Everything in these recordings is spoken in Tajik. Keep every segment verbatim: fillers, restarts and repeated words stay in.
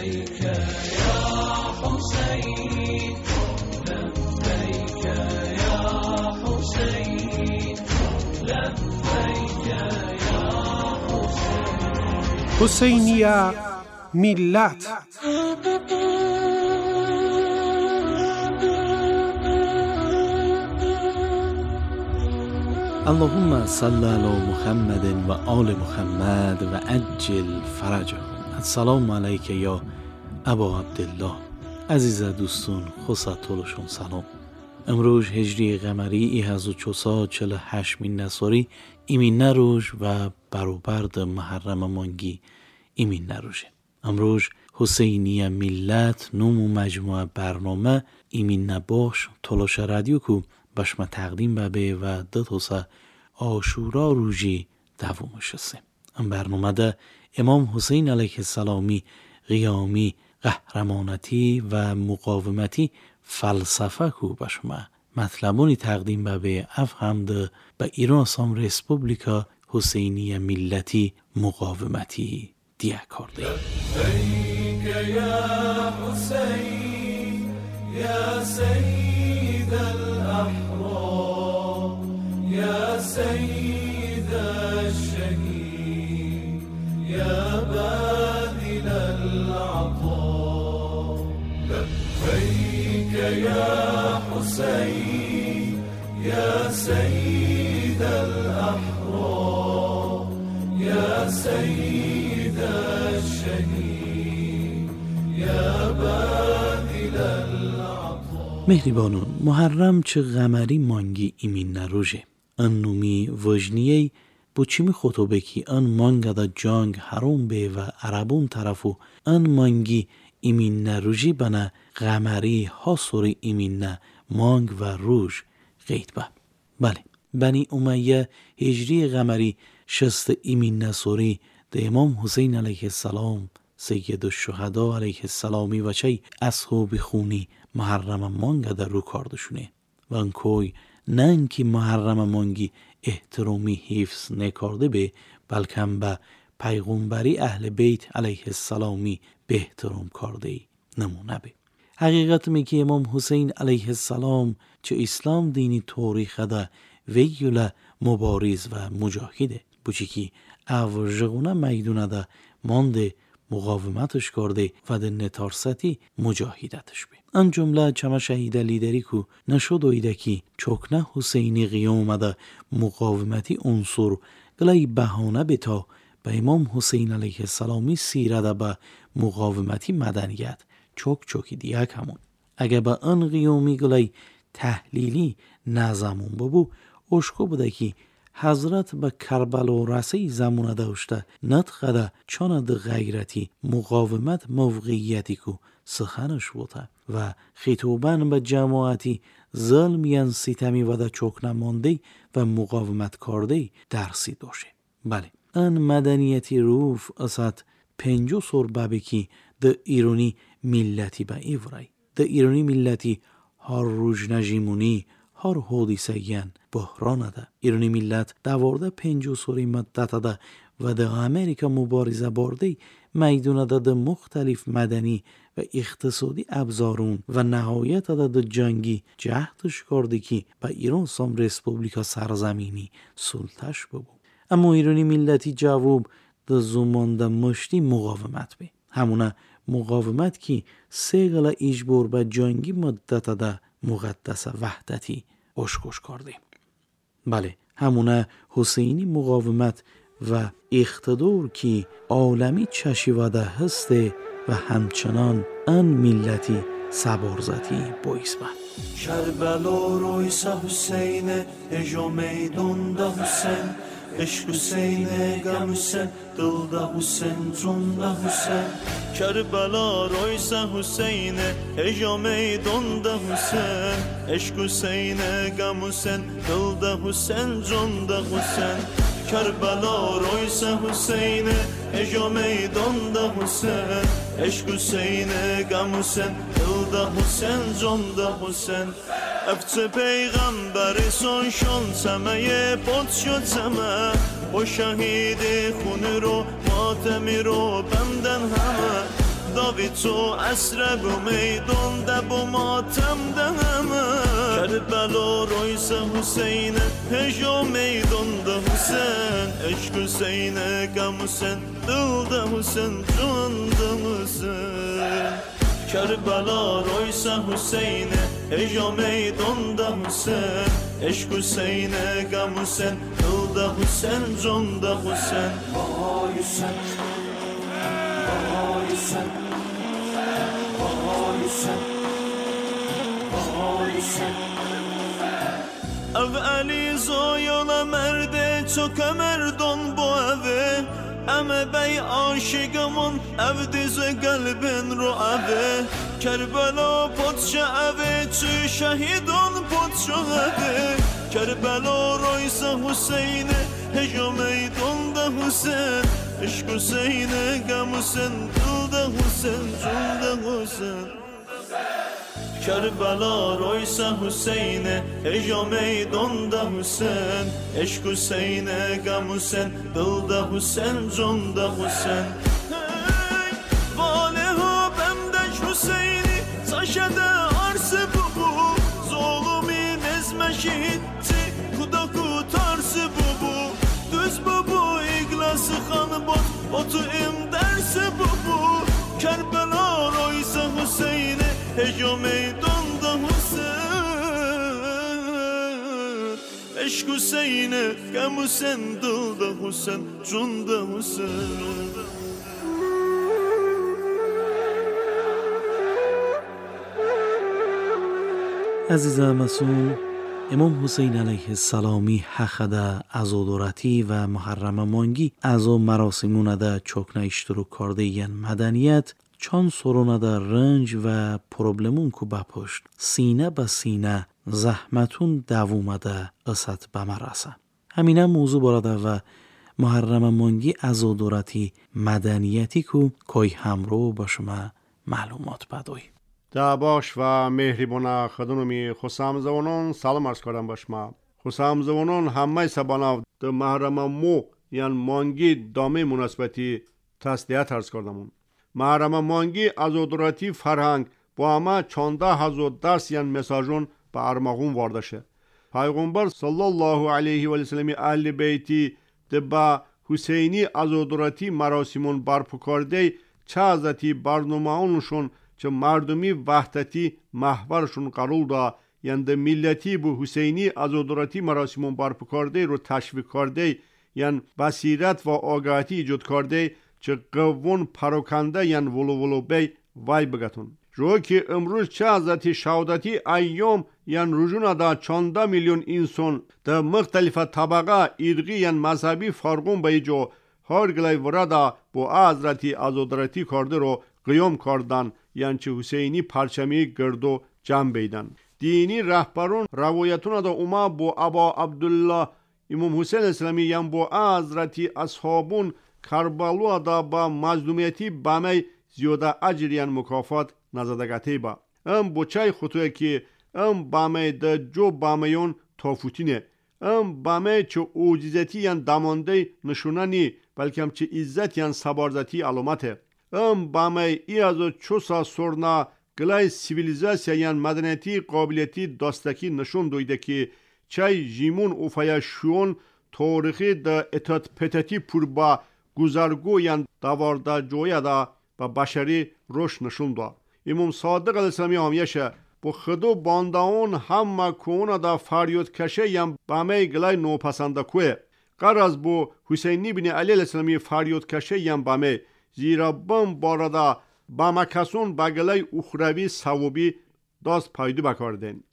لبيك يا حسين، لبيك يا حسين، لبيك يا حسین. حسینیه ملت. اللهم صل علی محمد و آل محمد و عجل فرجهم. السلام علیک یا ابا عبدالله. عزیز دوستون خوشتولشون سلام. امروز هجری قمری ای هزار و چهارصد و چهل و هشت من نصاری ایمین نروژ و برابرد محرم مانگی ایمین نروژه. امروز حسینی ملت نوم و مجموعه برنامه ایمین نباش تلاش رادیو کو بشما تقدیم به و دو عاشورا روژی دومش سه. ام برنامه ده امام حسین علیه السلامی قیامی قهرمانتی و مقاومتی فلسفه کو بشما مطلبونی تقدیم به اف هم ده به ایران سام رسپوبلیکا حسینی ملتی مقاومتی دیه کرده. لبیک یا حسین یا سید الاحرار یا سید الشهید یا باذل العطا. لبیک یا حسین یا سید الاحرار یا سید الشهید یا باذل العطا. مهریبانون، محرم چه قمری مانگی ایمین نروژه. ان نومی وجنیه بو چیمی خطوبه کی ان مانگا دا جانگ حروم به و عربون طرفو ان مانگی ایمین نروژی بنا قمری ها سوری ایمین نه مانگ و روژ قید با. بله، بنی امیه هجری قمری شست ایمین نسوری ده امام حسین علیه السلام سید الشهدا علیه السلامی و چه اصحاب خونی محرم مانگ در رو کاردشونه و انکوی نه اینکه محرم مانگی احترامی حفظ نکرده به، بلکه به پیغمبری اهل بیت علیه السلامی به احترام کرده نمونه به. حقیقت می که امام حسین علیه السلام چه اسلام دینی تاریخ ده ویوله مبارز و مجاهده بوچی که اوژغونه میدونه ده مانده مقاومتش کرده و ده نتارستی مجاهدتش به. آن جمله چما شهید لیدری کو نشد ایده که چکنه حسینی قیام ده مقاومتی عنصر گلای بهانه به تا به امام حسین علیه السلامی سیره ده به مقاومتی مدنیت چک چکی دیگه همون. اگه به آن قیامی گلای تحلیلی نظمون بابو اشکو بوده که حضرت به کربلا رسی زمانه داشته نطقه چاند غیرتی مقاومت موقعیتی کو سخنش بوده و خطابن به جماعتی ظلم ستمی و ده چک نمانده و مقاومت کرده درسی داشته. بله، ان مدنیتی روف اسد پنجو سر بابی که ده ایرانی ملتی به ایورای ده ایرانی ملتی هر روز نجیمونی هر حادثه بحران ده. ایرانی ملت دوارده پنجو سری مدت ده و ده امریکا مبارزه بارده میدونه ده ده مختلف مدنی و اقتصادی ابزارون و نهایت ده ده جنگی جهتش کرده که به ایران سام رسپوبلیکا سرزمینی سلطش ببو. اما ایرانی ملتی جواب ده زمان ده مشتی مقاومت به. همونه مقاومت که سه گله اجبار به جنگی مدت ده مقدس وحدتی اشکش کرده. بله، همونه حسینی مقاومت و اقتدار که عالمی چشیوده هسته و همچنان ان ملتی سبارزتی باعث بند. کربلا رویسا حسین اجا میدوندا حسین عشق حسین غم حسین دلدا حسین جوندا حسین. کربلا رویسا حسین اجا میدوندا حسین عشق حسین غم حسین دلدا حسین جوندا حسین. کربلا رویسا حسین اجا میدوندا حسین عشق حسین غم حسین دلدا حسین جوندا حسین. افچه پیغمبر سون شون سمه پت شد سمه با شهید خون رو ماتمی رو بندن همه. Davi تو عصر بو میدون ده بو ماتم ده همه کربلا رویس حسین هجا میدون ده حسین عشق حسین غم حسین دل ده حسین جان ده حسین کربلا رویس حسین هجا میدون ده حسین عشق حسین غم حسین دل ده حسین جان ده حسین وای حسین وای حسین وای حسین وای حسین ev Ali zoyola merde çok emerdon bu eve eme bey aşıkımın ev dizi kalbin ru eve Kerbela potşa eve çü şehidon potşa eve Kerbela roysa Hüseyin'e heca meydanda Hüseyin Eşk Hüseyin'e gam Hüseyin dilde Hüseyin cunda Hüseyin Kerbela roysa Hüseyin'e heca meydanda Hüseyin Eşk Hüseyin'e gam Hüseyin dilde Hüseyin cunda Hüseyin Hey valehu bemdeş Hüseyin'i taşede arsı bu Zulumi nezme şehitti kudaku tarsı bu bu Düz bu bu iglası han bot botu im dersi bu bu Kerbela roysa Hüseyin'e heca meydanda Hüseyin Eşk Hüseyin'e gam Hüseyin dilde Hüseyin cunda Hüseyin عزیزم مسون امام حسین علیه السلامی حقدا عزادارتی و محرم مانگی ازو مراسمونه دا چوک نیشترو کرده ین مدنیت چند سرونه دا رنج و پروبلمون کو بپشت سینه به سینه زحمتون دوومه دا اسد به مراسه همینه موضوع براده و محرم مانگی عزادارتی مدنیتی کو کای همرو با شما معلومات بدوی دا باش و مهربونا خدونمی خسام زوانون سلام عرض کردم با شما خسام زوانون همه سباناو ده محرم مو یعنی مانگی دامه مناسبتی تسلیت عرض کردمون محرم مانگی عزادارتی فرهنگ با همه چانده هزار درس یعنی مساجون به ارمغون واردشه پیغمبر صلی الله علیه و سلم اهل بیتی ده با حسینی عزادارتی مراسمون برپا کرده چه ازتی برنامه‌اونشون چه مردمی وحدتی محورشون قرار دا یعنی ده ملتی بو حسینی عزادارتی مراسمون برپا کرده رو تشویق کرده یعنی بصیرت و آگاهی ایجاد کرده چه قوون پراکنده یعنی ولو ولو بی وای بگتون رو که امروز چه ازتی شهادتی ایام یعنی رجون دا چانده میلیون انسان ده مختلف طبقه ارقی یعنی مذهبی فرقون به ایجا هر گلای وردا با حضرتی عزادارتی کرده رو قیام کردن یعنی چه حسینی پرچمی گردو جمع بیدن دینی رهبرون روایتون دا اوما با ابا عبدالله امام حسین اسلامی یعنی با حضرتی اصحابون کربلا دا با مظلومیتی بمی زیاده اجر یعنی مکافات نزدگتی با ام بچه خطوه که ام بمی دا جو بمیون تافوتینه ام بمی چه اوجیزتی یعنی دمانده نشونه نی بلکه هم چه عزت یعنی سبارزتی علامته ام بمی ای از چوسا سرنا گلای سیویلیزاسیا یعنی مدنیتی قابلیتی داستکی نشون دویده که چای جیمون اوفایا شون تاریخی دا اتات پتتی پور با گذرگو یعنی دوارده جویا دا با بشری روش نشون دا امام صادق علیه السلامی همیشه با خدو بانداون همه کونه دا فریاد کشه یعنی بمی گلای نوپسنده کوه قرض بو حسینی بن علی علیه السلامی فریاد کشه یعنی بمی زیرا بم باردا بمکسون بگلای اخروی ثوابی داست پایدو بکاردن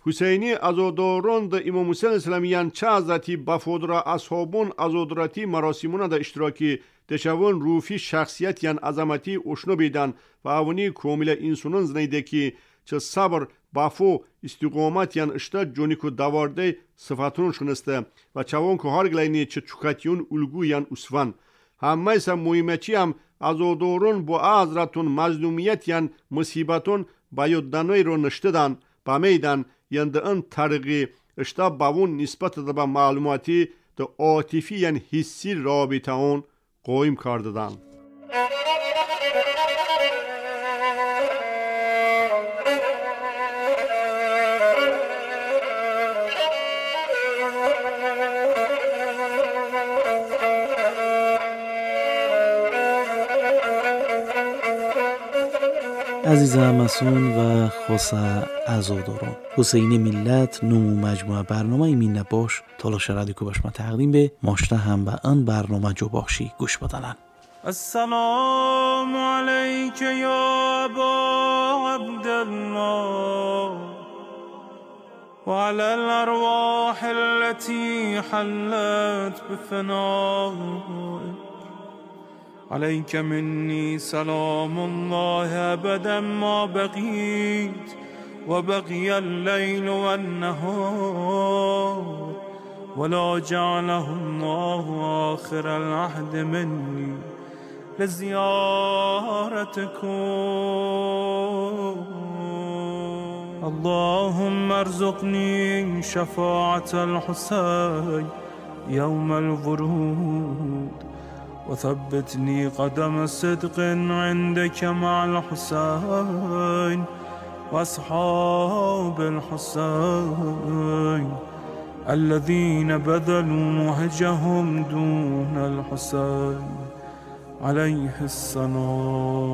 حسینی عزاداران دا امام حسین اسلامیان چه حضرتی بفودرا اصحابون عزادارتی مراسمون دا اشتراکی دشوون روفی شخصیت یان عظمتی اشنو بیدن و اونی کامل انسانون زنیده که چه صبر بفو استقامت یان اشتا جونیکو دوارده صفتون شنسته و چوان که هر گلینی چه چوکتیون الگو یان اسوان همه سا مهمچی هم عزادارون با حضرتون مظلومیت یان مصیبتون بیادنوی رو نشتدن بمیدن یعنی ده ان طریقی اشتا باون نسبت ده با معلوماتی ده عاطفی یعنی حسی رابطه اون قایم کردن. عزیز همسون و خاص عزاداران حسین ملت نمو مجموعه برنامه مینه باش تالاش رادیو باش ما تقدیم به ماشته هم به آن برنامه جو باشی گوش بدنن. السلام علیک یا ابا عبدالله وعلى الارواح التي حلت بفنائك عليك مني سلام الله أبدا ما بقيت وبقي الليل والنهار ولا جعله الله آخر العهد مني لزيارتكم. اللهم ارزقني شفاعة الحسين يوم الورود وثبتني قدم صدق عندك مع الحسين وأصحاب الحسين الذين بذلوا مهجهم دون الحسين عليه السلام.